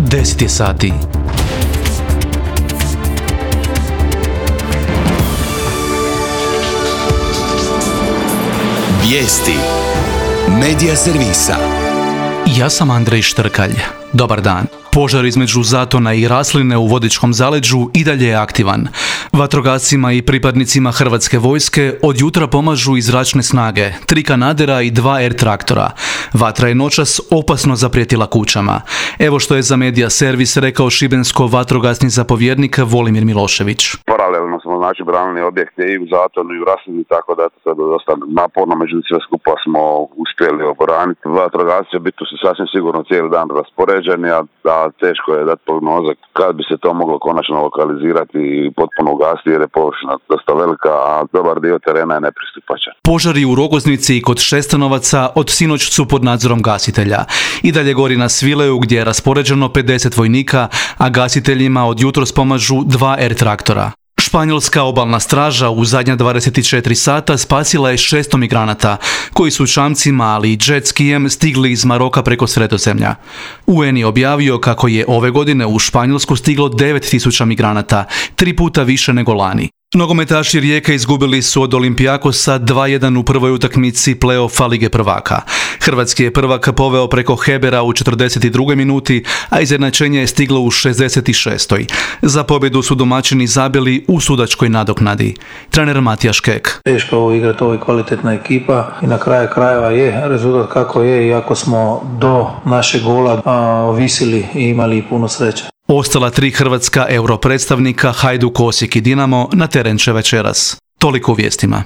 10 je sati. Vijesti Medija servisa. Ja sam Andrej Štrkalj. Dobar dan. Požar između Zatona i Rasline u Vodičkom zaleđu i dalje je aktivan. Vatrogascima i pripadnicima Hrvatske vojske od jutra pomažu i zračne snage, 3 kanadera i 2 air traktora. Vatra je noćas opasno zaprijetila kućama. Evo što je za Medija servis rekao šibensko-vatrogasni zapovjednik Volimir Milošević. Paralelno smo branili objekte i u Zatonu i u Raslini, tako da je to dosta naporno, međutim sve skupa smo uspjeli obraniti. Vatrogasci biti su sasvim sigurno cijeli dan raspoređeni, a teško je dati prognoze kad bi se to moglo konačno lokalizirati i potpuno ugasiti jer je površina dosta velika, a dobar dio terena je nepristupačan. Požari u Rogoznici i kod Šestanovaca od sinoć su pod nadzorom gasitelja. I dalje gori na Svileju gdje je raspoređeno 50 vojnika, a gasiteljima od jutros pomažu 2 air traktora. Španjolska obalna straža u zadnja 24 sata spasila je 600 migranata, koji su čamcima, ali i jet skijem stigli iz Maroka preko Sredozemlja. UN je objavio kako je ove godine u Španjolsku stiglo 9000 migranata, 3 puta više nego lani. Nogometaši Rijeke izgubili su od Olimpijakosa 2:1 u prvoj utakmici play-offa Lige prvaka. Hrvatski je prvak poveo preko Hebera u 42. minuti, a izjednačenje je stiglo u 66. Za pobjedu su domaćini zabili u sudačkoj nadoknadi. Trener Matija Škek. Teško ovo igrati, ovo je kvalitetna ekipa i na kraju krajeva je rezultat kako je, iako smo do našeg gola visili i imali puno sreće. Ostala 3 hrvatska europredstavnika Hajduk, Osijek i Dinamo na teren će večeras. Toliko u vijestima.